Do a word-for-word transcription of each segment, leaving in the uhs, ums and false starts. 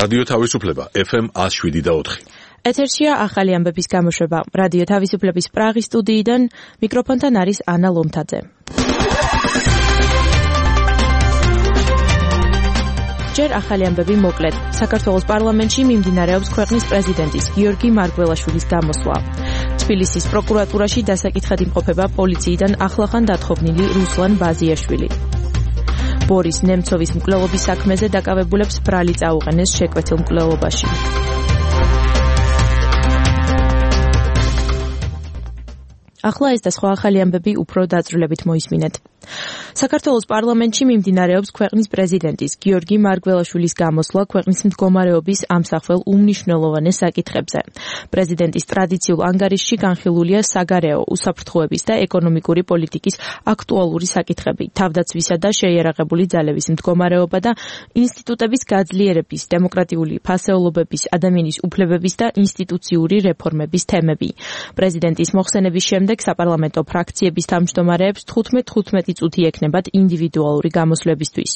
რადიო თავისუფლება ეფ ემ ათს შვიდი და ოთხი. ეთერშია ახალი ამბების გამოშვება. რადიო თავისუფლების პრაღის სტუდიიდან მიკროფონთან არის ანა ლომთაძე. ჯერ ახალი ამბები მოკლედ. საქართველოს პარლამენტში მიმდინარეობს ქვეყნის პრეზიდენტის გიორგი მარგველაშვილის გამოსვლა. თბილისის პროკურატურაში დასაკითხად იმყოფება პოლიციიდან ახლახან დათხოვნილი რუსლან ბაზიაშვილი. ბორის ნემცოვის მკვლელობის საქმეზე დაკავებულებს ბრალი წაუყენეს შეკვეთილ მკვლელობაში. ახლა ეს და სხვა ახალი ამბები უფრო დაწვრილებით მოისმინეთ. საქართველოს პარლამენტში მიმდინარეობს ქვეყნის პრეზიდენტის გიორგი მარგველაშვილის გამოსვლა ქვეყნის მდგომარეობის ამსახველ უმნიშვნელოვანეს საკითხებზე. პრეზიდენტის ტრადიციულ ანგარიშში განხილულია საგარეო, უსაფრთხოების და ეკონომიკური პოლიტიკის აქტუალური საკითხები, თავდაცვისა და შეიარაღებული ძალების მდგომარეობა და ინსტიტუტების გაძლიერების, დემოკრატიული ფასეულობების, ადამიანის უფლებების და ინსტიტუციური რეფორმების თემები. პრეზიდენტის მოხსენების შემდეგ საპარლამენტო ფრაქციების თავმჯდომარეებს თხუთმეტ-თხუთმეტი წუთი ექნებათ ინდივიდუალური გამოსვლებისთვის.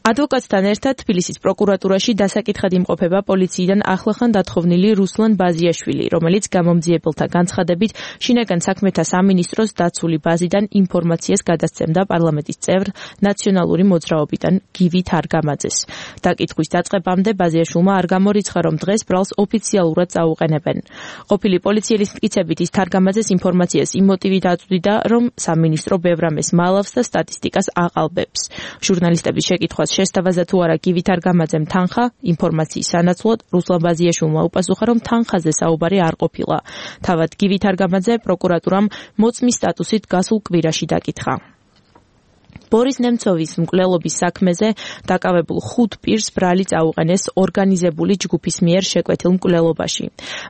ადვოკატთან ერთად თბილისის პროკურატურაში დასაკითხად იმყოფება პოლიციიდან ახლახან დათხოვნილი რუსლან ბაზიაშვილი, რომელიც გამომძიებელთა განცხადებით შინაგან საქმეთა სამინისტროს დაცული ბაზიდან ინფორმაციას გადასცემდა პარლამენტის წევრ ნაციონალური მოძრაობიდან გივი თარგამაძეს. დაკითხვის დაწყებამდე ბაზიაშვილმა არ გამორიცხა, რომ დღეს ბრალს ოფიციალურად წაუყენებენ. ყოფილი პოლიციელის მტკიცებით ის თარგამაძეს ინფორმაციას იმ მოტივით აწვდიდა, რომ სამინისტრო ბევრ ამას მალავს და სტატისტიკას აყალბებს. ჟურნალისტების შეკითხვას შესთავაზა თუ არა გივი თარგამაძემ თანხა ინფორმაციის სანაცვლოდ, რუსლან ბაზიაშვილმა უპასუხა, რომ თანხაზე საუბარი არ ყოფილა. თავად გივი თარგამაძე პროკურატურამ მოწმის სტატუსით გასულ კვირაში დაკითხა. ბორის ნემცოვის მკვლელობის საქმეზე დაკავებულ ხუთ პირს ბრალი წაუყენეს ორგანიზებული ჯგუფის მიერ შეკვეთილ მკვლელობაში.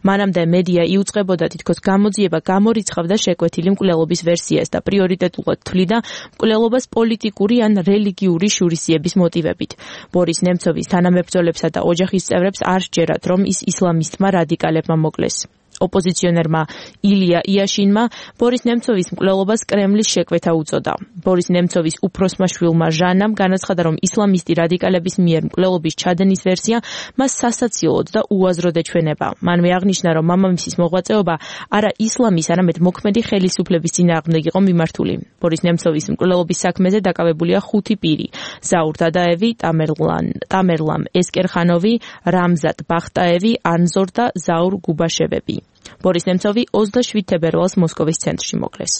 მანამდე მედია იუწყებოდა თითქოს გამოძიება გამორიცხავდა შეკვეთილი მკვლელობის ვერსიას და პრიორიტეტულად თვლიდა მკვლელობას პოლიტიკური ან რელიგიური შურისძიების მოტივებით. ბორის ნემცოვის თანამებრძოლებსა და ოჯახის წევრებს არ სჯერათ, რომ ის ისლამისტმა რადიკალებმა მოკლეს. ოპოზიციონერმა ილია იაშინმა ბორის ნემცოვის მკვლელობას კრემლის შეკვეთა უწოდა. ბორის ნემცოვის უფროსმა შვილმა ჟანამ განაცხადა, რომ ისლამისტი რადიკალების მიერ მკვლელობის ჩადენის ვერსია მას სასაცილოდ და უაზროდ ეჩვენება. მანვე აღნიშნა, რომ მამამისის მოღვაწეობა არა ისლამის, არამედ მოქმედი ხელისუფლების წინააღმდეგ იყო მიმართული. ბორის ნემცოვის მკვლელობის საქმეზე დაკავებულია ხუთი პირი: ზაურ დადაევი, ტამერლან, ტამერლამ ესკერხანოვი, რამზად ბახტაევი, ანზორ და ზაურ გუბაშევები. ბორის ნემცოვი ოცდაშვიდ თებერვალს მოსკოვის ცენტრში მოკლეს.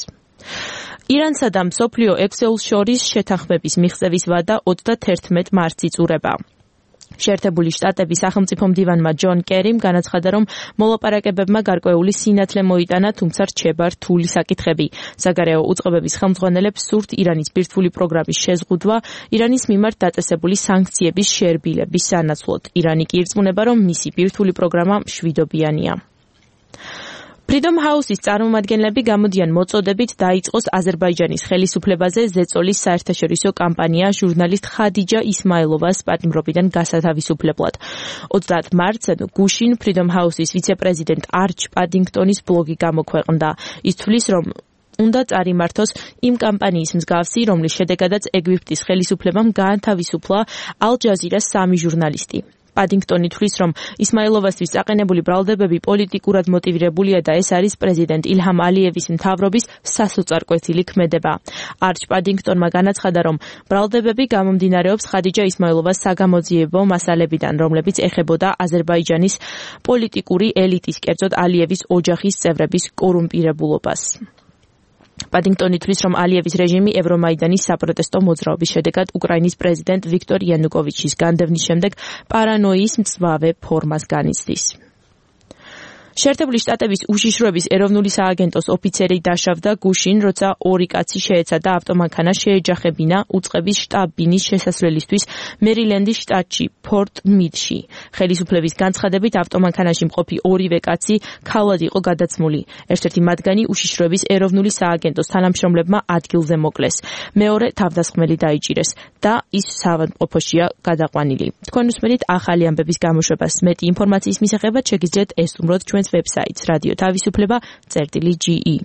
ირანსა და მსოფლიო ექსეულს შორის შეთანხმების მიღწევის ვადა ოცდათერთმეტ მარტს იწურება. შეერთებული შტატების სახელმწიფო მდივანმა ჯონ კერიმ განაცხადა, რომ მოლაპარაკებებმა გარკვეული სინათლე მოიტანა, თუმცა რჩება რთული საკითხები. საგარეო უწყებების ხელმძღვანელებს სურთ ირანის ბირთვული პროგრამის შეზღუდვა, ირანის მიმართ დაწესებული სანქციების შერბილების სანაცვლოდ. ირანი კი ირწმუნება, რომ მისი ბირთვული პროგრამა მშვიდობიანია. Freedom House-ის წარმომადგენლები გამოდიან მოწოდებით დაიწყოს აზერბაიჯანის ხელისუფლებაზე ზეწოლის საერთაშორისო კამპანია ჟურნალისტ ხადიჯა ისმაილოვას პატიმრობიდან გასათავისუფლებლად. ოცდაათ მარტს გუშინ Freedom House-ის ვიცე-პრეზიდენტ არჩ პადინგტონის ბლოგი გამოქვეყნდა. ის თვლის, რომ უნდა წარიმართოს იმ კამპანიის მსგავსი, რომლის შედეგადაც ეგვიპტის ხელისუფლებამ გაანთავისუფლა ალ-ჯაზირას სამი ჟურნალისტი. პადინგტონი თვლის, რომ ისმაილოვასთვის წაყენებული ბრალდებები პოლიტიკურად მოტივირებულია და ეს არის პრეზიდენტ ილჰამ ალიევის მთავრობის სასოწარკვეთილი ქმედება. არჩ პადინგტონმა განაცხადა, რომ ბრალდებები გამომდინარეობს ხადიჯა ისმაილოვას საგამოძიებო მასალებიდან, რომლებიც ეხებოდა აზერბაიჯანის პოლიტიკური ელიტის, კერძოდ ალიევის ოჯახის წევრების კორუმპირებულობას. პადინგტონი თვლის, რომ ალიევის რეჟიმი ევრომაიდანის საპროტესტო მოძრაობის შედეგად უკრაინის პრეზიდენტ ვიქტორ იანუკოვიჩის განდევნის შემდეგ პარანოიის მწვავე ფორმას განიცდის. შეერთებული შტატების უშიშროების ეროვნული სააგენტოს ოფიცერი დაშავდა გუშინ, როცა ორი კაცი შეეცადა ავტომანქანა შეეჯახებინა უწყების შტაბ-ბინის შესასვლელისთვის მერილენდის შტატში, ფორტ მიდში. ხელისუფლების განცხადებით ავტომანქანაში მყოფი ორივე კაცი ქალად იყო გადაცმული. ერთ-ერთი მათგანი უშიშროების ეროვნული სააგენტოს თანამშრომლებმა ადგილზე მოკლეს. მეორე თავდასხმელი დაიჭირეს და ის საავადმყოფოშია გადაყვანილი. თქვენ უსმენთ ახალი ამბების გამოშვებას. მეტი ინფორმაციის მისაღებად შეგიძლიათ ესტუმროთ ჩვენს ვებსაიტს რადიო თავისუფლება წერტილი ჯი ი.